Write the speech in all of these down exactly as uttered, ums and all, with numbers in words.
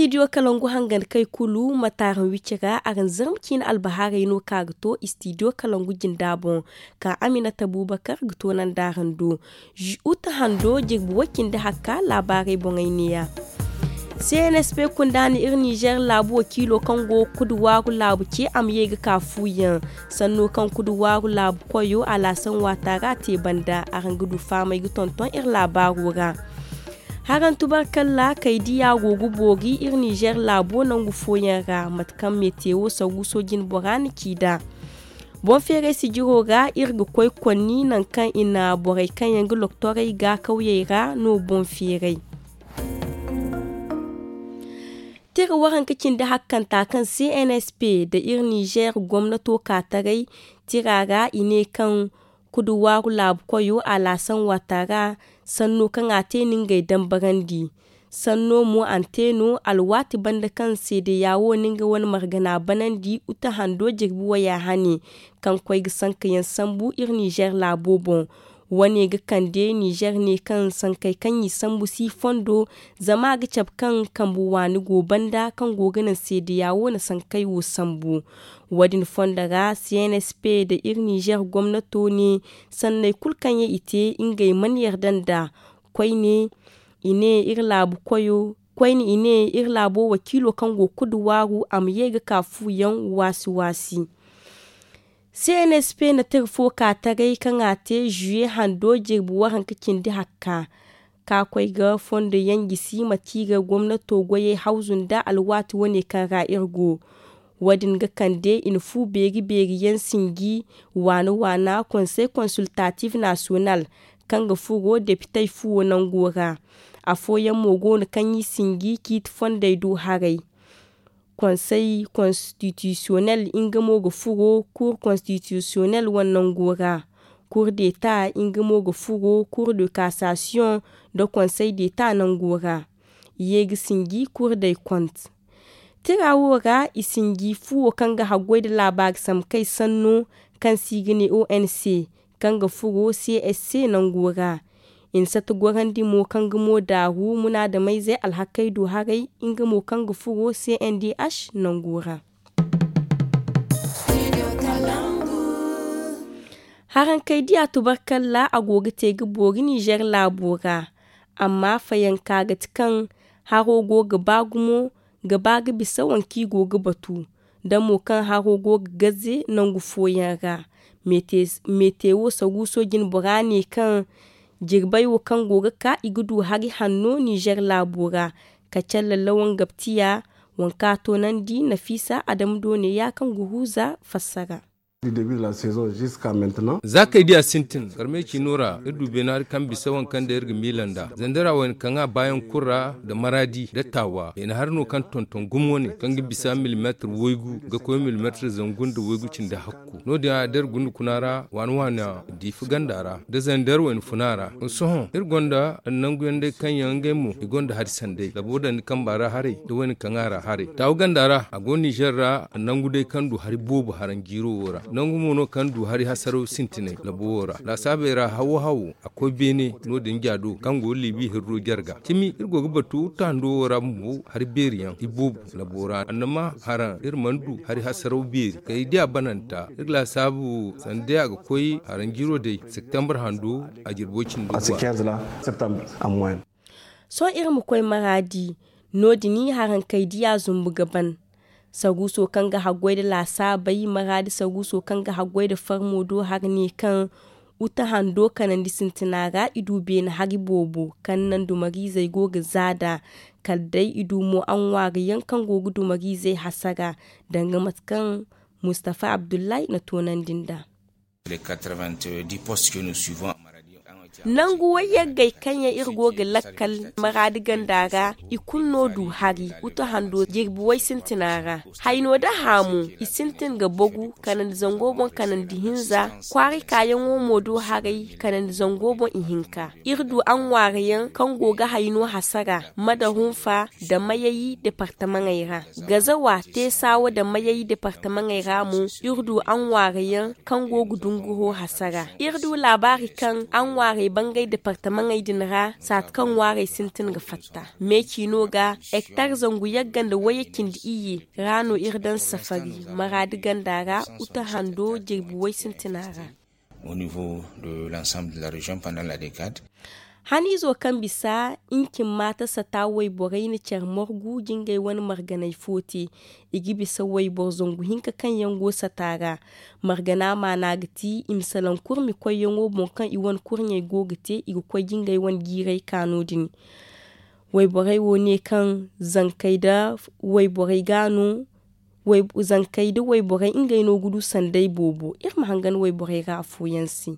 Istidiyo kalangu hangan kay kulu ma taaran wicce ra araŋ zarma ciine albahaarey no ka ga to istidiyo kalangu jinda boŋ, ka aminata buubakar ga toonandi araŋ do. Uta hando jirbi way cindi hakka laabaarey boŋey neeya. Cnsp kunda na iri nizer laabu wakiilo kaŋ go ga kudu waaru laabu ce a ma ye ga ka fuuyaŋ. Sanno kaŋ kudu waaru laabu koyo alaasan waata ra te banda araŋ ga du faamay ga tonton iri laabaaro ra. Haraŋ tubarkalla kay diya go ga boori iri nizer laabo nangu fooyaŋ ra mate kaŋ metewo saruuso jine bora na ci nd'a. Boŋ feeray sijiro ra iri ga koy konni nangu kaŋ i na borey kaŋ yaŋ ga loktorey ga kawyey ra no boŋ feeray. Tira waranka cindi hakkanta kaŋ cnsp nda iri nizer gomnato ka taray tira ra i ne kaŋ kudu waaru laabu koyo alaasan waata ra sanno kaŋ a te na ngey dambarandi. Sanno mo a na te no alwaati banda kaŋ seedeya wo na nga wane margana banandi uta hando jirbi waya hane kaŋ koy ga sankayaŋ sambu iri nizer laabo boŋ. Wane ga kande nizer ne kaŋ sankey kaŋ i sambu si fondo zama a ga cabe kaŋ kambe waani go banda kaŋ go ga naŋ seedeya wo na sankey wo sambu. Wo- din fondo ra cnsp nda iri nizer gomnato ne sanney kulu kaŋ yaŋ i te ngey mana yarda nd'a. Koyne i ne iri laabu koyo koyne i ne iri laabo wakiilo kaŋ go ga kudu waaru a ma ye ga ka fuuyaŋ waasi waasi. Cnsp na tira fo ka taray kaŋ a te zuye hando jirbi waranka cindi hakka ka koy ga fondo yaŋ gisi mate kaŋ i ga gomnato goyey hawzu nda alwaati wane kaŋ ra iri go. Wo- din ga kande i na fu beeri beeri yaŋ sinji waana waana konsey konsultatif nasiyonal kaŋ ga furo depitey fuwo nango ra. Afooyaŋ mo go no kaŋ i sinji ciiti fondey do haray. Konsey konstitisiyonel nga mo ga furo kuur konstitisiyonel wane nango ra. Kuur deta nga mo ga furo kuur de kasasiyoŋ nda konsey deta nango ra. I ye ga sinji kuur day kont. Tira wo ra i sinji fuwo kaŋ ga haggoy nda laabaari samkey sanno kaŋ se i ga ne onc kaŋ ga furo csc nango ra. I na sata gorandi mo kaŋ ga mo daaru munaadamayzey alhakey do haray nga mo kaŋ ga furo cndh nango ra. Harankey diya tubarkalla a go ga te ga boori nizer laabo ra. Amma fayanka ga ti kaŋ haro go ga ba gumo ga ba ga bisa waŋ kaŋ i go ga batu da mo kaŋ haro go ga gaze nangu fooyaŋ ra. Metewo saruuso jine bora ne kaŋ jirbey wo kaŋ go ga ka i ga du hari hanno nizer laabo ra. Ka calle lawan gabtiya waŋ kaŋ a toonandi nafiisa adama doone ya kaŋ ga huuza fassara. Za kay diya sintin karmey ciino ra iri du beene hari kaŋ bisa waŋ kaŋ day iri ga miila nd'a zandara wayna kaŋ a baayaŋ kulu ra nda maraadi nda taawa beene hari no kaŋ tonton gumo ne kaŋ ga bisa milimeetir waygu ga koy milimeetir zangu nda waygu cindi hakku. No- din a da iri gunda kuna ra waani waani diifa ganda ra nda zandar wayna funa ra. Sohõ iri gonda nanguyaŋ day kaŋ yaŋ ngey mo i gonda hari sanday labo dandi kamba ra haray nda wayna kaŋ a ra haray taawa ganda ra a go nizer ra nangu day kaŋ du hari boobo haraŋ jiiro wo ra nangu mo no kaŋ du hari hasaraw sintinay labo wo ra laasaabey ra hawo hawo a koy beene. No- din jaado kaŋ go libi hirro jarga cimi iri go ga batu tando wo ra bumbo hari beeri yaŋ i boobo labo ra annama haraŋ iri mana du hari hasaraw beeri kay diya bananta iri laasaabu sanda day a ga koy haraŋ jiiro day septembre hando a jirbo cindo. Sohõ iri ma koy maraadi. No- din harankey diya zumbu ga ban. Saruuso kaŋ ga haggoy nda laasaabey maraadi saruuso kaŋ ga haggoy nda farmo do hari ne kaŋ uta hando kanandi sintina ra i du beene hari boobo kaŋ naŋ dumariizey go ga zaada. Kala day i du mo aŋwaari yaŋ kaŋ go ga dumariizey hasara danga mate kaŋ mustafa abdullahi na toonandi nd'a. Nangu wayyaggey kaŋ yaŋ iri go ga lakkal maraadi ganda ra i kulu no du hari uta hando jirbi way sintina ra. Hayno da haamu i sintin ga bogu kanandi zango boŋ kanandi hinza. Kwaari kaayaŋo mo do haray kanandi zango boŋ ihinka. Iri du aŋwaarayaŋ kaŋ go ga hayno hasara mada hunfa nda mayayi departamaŋey ra. Gazawa teesawa nda mayayi departamaŋey ra mo iri du aŋwaarayaŋ kaŋ go ga dunguho hasara. Iri du laabaari kaŋ aŋwaarey I bangay departamaŋey din ra saati kaŋ ŋwaarey sintin ga fatta. Meeci no ga hektar zangu yagga nda wayye cindi iyye ra no iri daŋ safari maraadi ganda ra, uta hando jirbi way sintina ra. Au niveau de l'ensemble de la région pendant la décade. Haniizo kaŋ bisa ncin maata sata wayborey na care margu jingay wane marganey fo te. I ga bisa wayboro zangu hinka kaŋ yaŋ go sata ra. Margana maana ga ti i ma salaŋ kurmi koyyaŋo boŋ kaŋ i wane kurɲey go ga te i ga koy jingay wane jiirey ka no- din. Wayborey wo ne kaŋ zankey da wayborey ga no. Zankey da wayborey ngey no ga du sanday boobo iri ma hangan wayborey ra afooyaŋ se.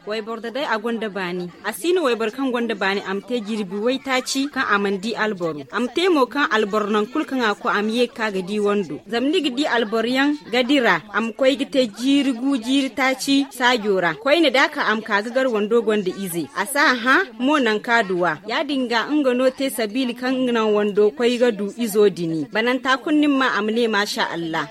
Wayboro da day a gonda baani. A si no wayboro kaŋ gonda baani a ma te jirbi waytaaci kaŋ a mana di alboro. A ma te mo kaŋ alboro naŋ kulu kaŋ a koy a ma ye ga ka ga di wando zama ni ga di alboro yaŋ ga dira a ma koy ga te jiiri gu jiiri taaci saajo ra koyne da a ka a ma ka ga gar wando gonda ize a si a hã. Mo naŋ ka duwa ya- din ga nga no te sabiili kaŋ naŋ wando koy ga du izo dini bananta kulu ni ma ma a ma ne maasa allah.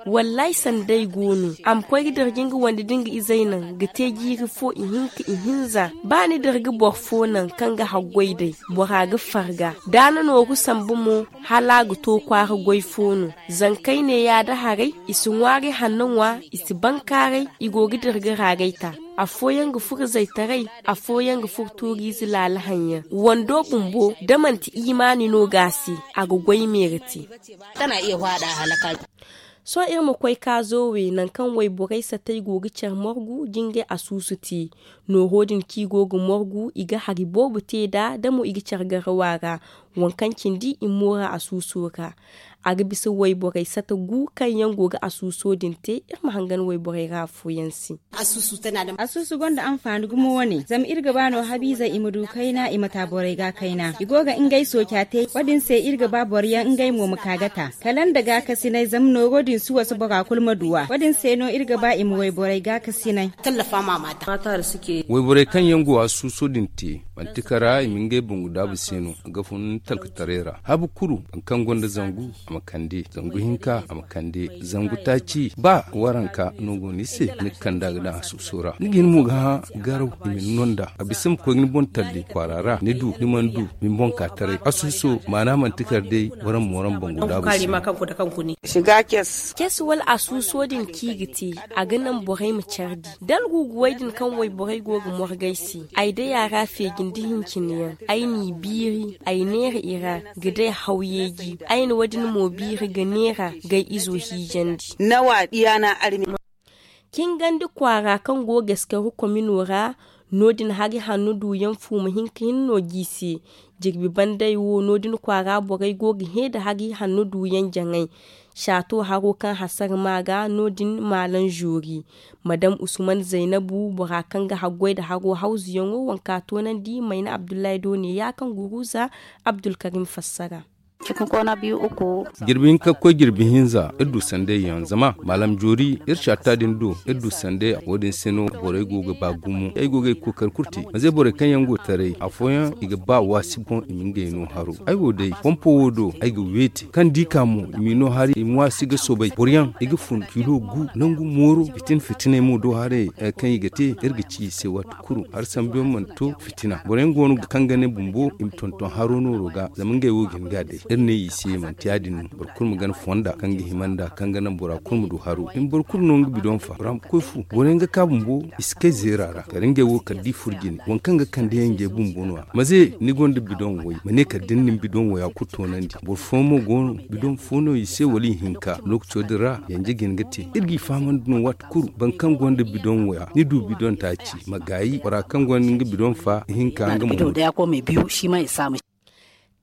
Wallaahi sanday go no a ma koy ga dirji nga wande da nga izey naŋ ga te jiiri fo ihinka ihinza. Ba ni dirji boro fo naŋ kaŋ ga haggoy day bora ga farga da ni nooru sambu mo. Hala a ga to kwaara goy fo no. Zankey ne yaada haray i si ŋwaaray hanno ŋwa i si bankaaray. I go ga dirji raagay ta. Afooyaŋ ga furo zaytaray. Afooyaŋ ga furo tuuriize laala haŋ yaŋ wando bumbo da manti imaani no ga a se. A ga goy meera te. Sohõ iri ma koy kaazo we nangu kaŋ wayborey satey go ga care margu jingay asuusu te. Nooro din kaŋ i go ga margu i ga hari boobo te nd'a da mo i ga care garawa ra. Waŋ kaŋ cindi i moora asuuso ra. A ga bisa wayborey sata gu kaŋ yaŋ go ga asuuso din te. Iri ma hangan wayborey ra afooyaŋ se. Asuusu gonda anfaani gumo wane zama iri ga ba no habiizey i ma du kayna i ma ta borey ga kayna i go ga ngey sooca te wo- din se iri ga ba boro yaŋ ngey mo ma ka ga ta kala nda gaakasinay zama nooro din si wasa bora kulu ma du a wo- din se no iri ga ba i ma wayborey gaakasinay. Wayborey kaŋ yaŋ go asuuso din te manti kara i ma ngey bangu daabu se no a ga fun talkataray ra habu kuru. Boro kaŋ gonda zangu a ma kande zangu hinka a ma kande zangu taaci ba waranka no go ni se ni ga kande a ga daŋ asuuso ra ni ga hin mo ga hã garaw i ma ni no nd'a a bisa ma koy ga ni boŋ talli kwaara ra ni du ni mana du ni boŋ ka taray asuuso maana manti kar day waran mooran bangu daabu se no. Ces wala asuuso din kaŋ i ga te a ga naŋ borey ma care di da alguguwey din kaŋ wayborey go ga morgay se. Ay day a ra feeji nda hincine yaŋ ay n'i biiri ay neera i ra ga day haw yeeji ay na wo- din mo biiri ga neera gay izo hiijandi. Cingandi kwaara kaŋ go ga eskaru komino ra no- din hari hanno duuyaŋ fuuma hinka hinne no g'i se. Jirbi banday wo no- din kwaara borey go ga hẽ nda hari hanno duuyaŋ jaŋay. Saato haro kaŋ hasara ma ga no- din maalam zoori madam usman zaynabu bora kaŋ ga haggoy nda haro hawzuyaŋo waŋ ka toonandi mayna abdullahi do ne ya kaŋ guruza abdulkarim fassara. Jirbi hinka ga koy jirbi hinza iri du sanday yaŋ zama maalam joori iri caata din do iri du sanday wo- din se no borey go ga ba gumo ay go ga ay kookari kulu te manze borey kaŋ yaŋ go taray afooyaŋ i ga ba waasi boŋ i ma ngey no haro ay wo day pompo wo do ay ga weeti kaŋ da i ka mo i m'i no hari i ma waasi ga soobay boro yaŋ i ga fun kilo gu nangu mooro fitin fitinay mo do haray kaŋ i ga te iri ga ci i se waati kulu hari sambu yaŋ mana to fitina boro yaŋ go no kaŋ ga ne bumbo i ma tonton haro nooro ga zama ngey wo ga hin ga a day iri ne i se manti ya- din no boro kulu ma gana fonda kaŋ ga hima nd'a kaŋ ga naŋ bora kulu ma du haro i ma boro kulu no nga bidoŋ fa bora ma koy fu boro yaŋ ga ka bumbo i si kay zeera ra kala ngey wo kala da i furo jine waŋ kaŋ ga kande yaŋ ngey bumbo no- ya maze ni gonda bidoŋ way ma ne kala da ni na ni bidoŋ waya kulu toonandi boro fooyaŋ mo go no bidoŋ fo no i se wala i hinka lookaco din ra yanje ga hin ga te iri g'i fahamandi no waati kulu boro kaŋ gonda bidoŋ waya ni du bidoŋ taaci ma gaayi bora kaŋ gonda nga bidoŋ fa ihinka nga mo.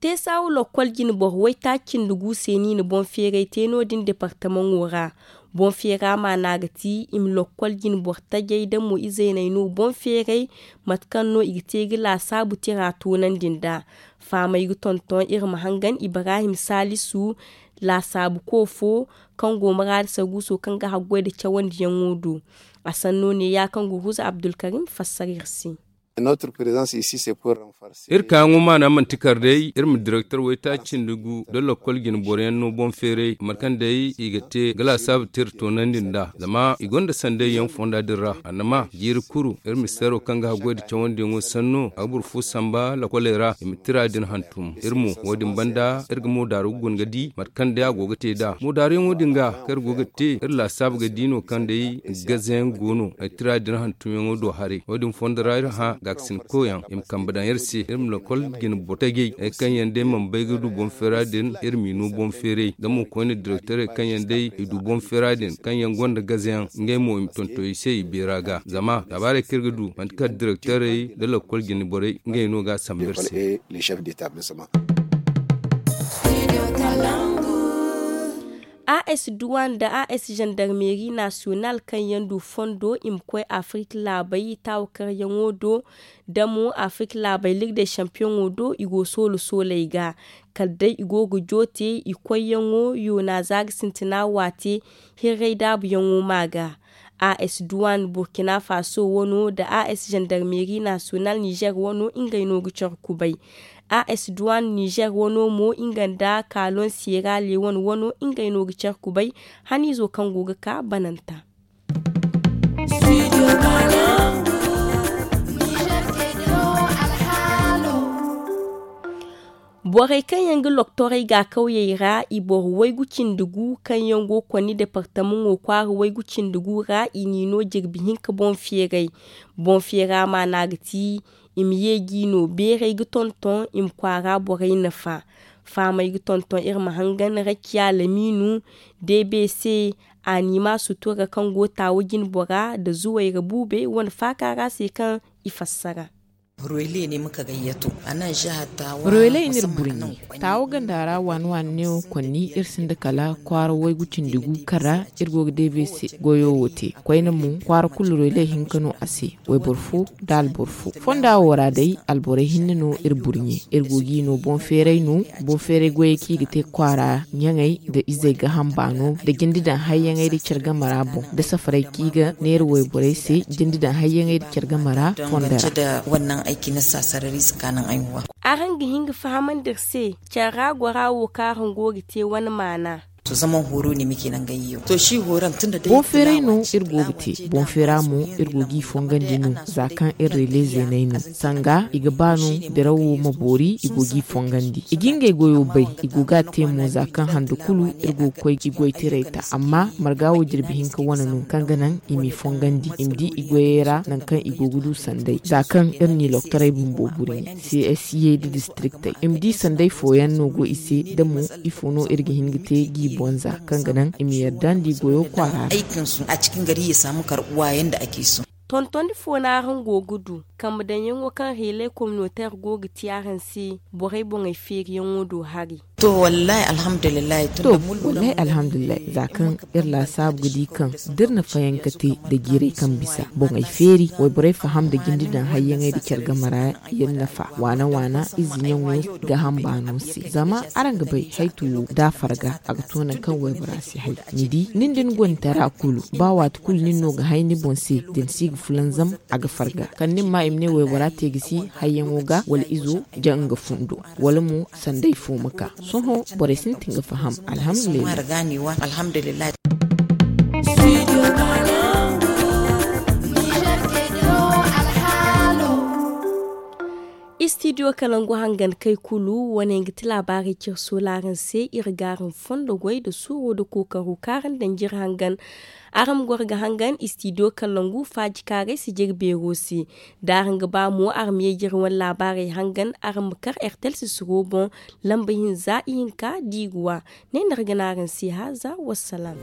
Teesaawu lokkol jine boro waytaaci cindi gu se no i na boŋ feeray te no- din departamaŋo ra. Boŋ feera maana ga ti i ma lokkol jine boro tajey da mo izeyney no boŋ feeray mate kaŋ no i ga te ga laasaabu tira toonandi nd'a. Fahamey ga tonton iri ma hangan ibrahim saalisu laasaabuko fo kaŋ go maraada saguuso kaŋ ga haggoy nda cawandiyaŋo do. A sanno ne ya kaŋ guruza abdulkarim fassara iri se. Iri kaayaŋo maana manti kar day iri ma direktor waytaaci nda gu nda lokol jine boro yaŋ no boŋ feeray mate kaŋ day i ga te ga laasaabu te iri toonandi nd'a zama i gonda sanday yaŋ fonda din ra. Annama jiiri kulu iri ma seero kaŋ ga haggoy nda cawandiyaŋo sanno a ga boro fo samba lokoley ra i ma tira din hantum iri mo. Wo- din banda iri ga moodaaru ga guna ga di mate kaŋ day a go ga te nd'a moodaaruyaŋo din ga kaŋ iri go ga te iri laasaabu ga di no kaŋ day gazayaŋ go no ay tira din hantumyaŋo do haray. Wo- din fondo ra iri hã gaakasin koyyaŋ i ma kambe daŋ iri se iri ma lokol jine boro tajey hari kaŋ yaŋ day mana bay ga du boŋ feera din iri m'i no boŋ feeray da mo koyne direktorey kaŋ yaŋ day i du boŋ feera din kaŋ yaŋ gonda gazayaŋ ngey mo i ma tonton i se i beera ga zama laabaarey kaŋ iri ga du manti kala direktorey nda lokol jine borey ngey no ga a sambu iri se. As duwan nda as zandarmeri nasiyonal kaŋ yaŋ du fondo i ma koy afirka laabey taawakaryaŋo do da mo afirka laabey lirdey sampiyoŋo do i go soolo sooley ga kala day i go ga joote i koyyaŋo yoona za ga sintina waate hirray daabuyaŋo ma ga. As duwan burkina faso wano nda as zandarmeri nasiyonal nizer wano ngey no ga care kubay. As duwan nizer wano mo nga nda kaalon siyera lewon wano ngey no ga care kubay haniizo kaŋ go ga ka bananta. Borey kaŋ yaŋ ga loktorey ga kawyey ra i boro waygu cindi gu kaŋ yaŋ go konni departamaŋo kwaara waygu cindi gu ra i n'i no jirbi hinka boŋ feeray. Boŋ feera maana ga ti i ma ye g'i no beeray ga tonton i ma kwaara borey nafa. Faamay ga tonton iri ma hangan rakiya lamiinu d b c a n'i ma sutura kaŋ go taawa jine bora nda zuwayra buubey wane faaka ra se kaŋ i fassara. Royaley n'iri burɲe taawo ganda ra waani waani neewo konni iri sinda kala kwaara waygu cindi gu kaŋ ra iri go ga deebey se goyo wo te koyne mo kwaara kulu royaley hinka no a se wayboro fo nda alboro fo fonda wo ra day alborey hinne no iri burɲe iri go g'i no boŋ feeray no boŋ feeray goyey kaŋ i ga te kwaara ɲaŋey nda izey gaaham baano nda jinde daŋ hayyaŋey nda care game ra boŋ nda safarey kaŋ i ga neera wayborey se jinde daŋ hayyaŋey nda care game ra fondo ra. Araŋ ga hin ga fahamandi iri se care ra gora wo kaŋ araŋ go ga te wane maana. Boŋ feeray no iri go ga te boŋ feera mo iri go g'i fongandi no za kaŋ iri rele zeeney no sanga i ga ba no dirawo ma boori i go g'i fongandi i ga ngey goyo bay i go ga a te mo za kaŋ hando kulu iri go ga koy i goytaray ta amma marga wo jirbi hinka wane no kaŋ ga naŋ i m'i fongandi i ma di i goyey ra nangu kaŋ i go ga du sanday za kaŋ iri n'i loktorey bumbo burɲe. Csa da distriktey i ma di sanday fooyaŋ no go i se da mo ifo no iri ga hin ga te g'i boŋ za kaŋ ga naŋ i ma yardandi goyo kwaara ra. Tontondi fo no araŋ go ga du kambe daŋyaŋo kaŋ heley kominoteer go ga te araŋ se borey boŋey feeriyaŋo do hari? To wallahi alhamdulillahi za kaŋ iri laasaabu ga di kaŋ da iri na fayanka te nda jiirey kaŋ bisa boŋey feeri wayborey faham nda jinde daŋ hayyaŋey nda care game ra yaŋ nafa waana waana ize ɲaŋo gaaham baano se zama araŋ ga bay haytu wo da a farga a ga to nangu kaŋ waybora si hay ni di nin da ni gontara kulu ba waati kulu nin no ga hay ni boŋ se da ni si ga fulanzam a ga farga kala nin ma i ma ne waybora te ga si hayyaŋo ga wala izo jaŋ nga fundo wala mo sanday fo ma ka sohõ borey sintin ga faham. Alhamdulillahi. Istidiyo kalangu hangan kay kulu wane ga ti laabaarey cire soolaaraŋ se iri ga araŋ fondo goy nda suuro nda kookaro kaŋ araŋ daŋ jire hangan. Araŋ ma goro ga hangan istidiyo kalangu faaji kaaray si jire beero se da araŋ ga ba mo araŋ ma ye jire wane laabaarey hangan araŋ ma kar ertel sisiro boŋ lamba hinza ihinka diiruwa. Ne no iri ga ne araŋ se haaza wassalaam.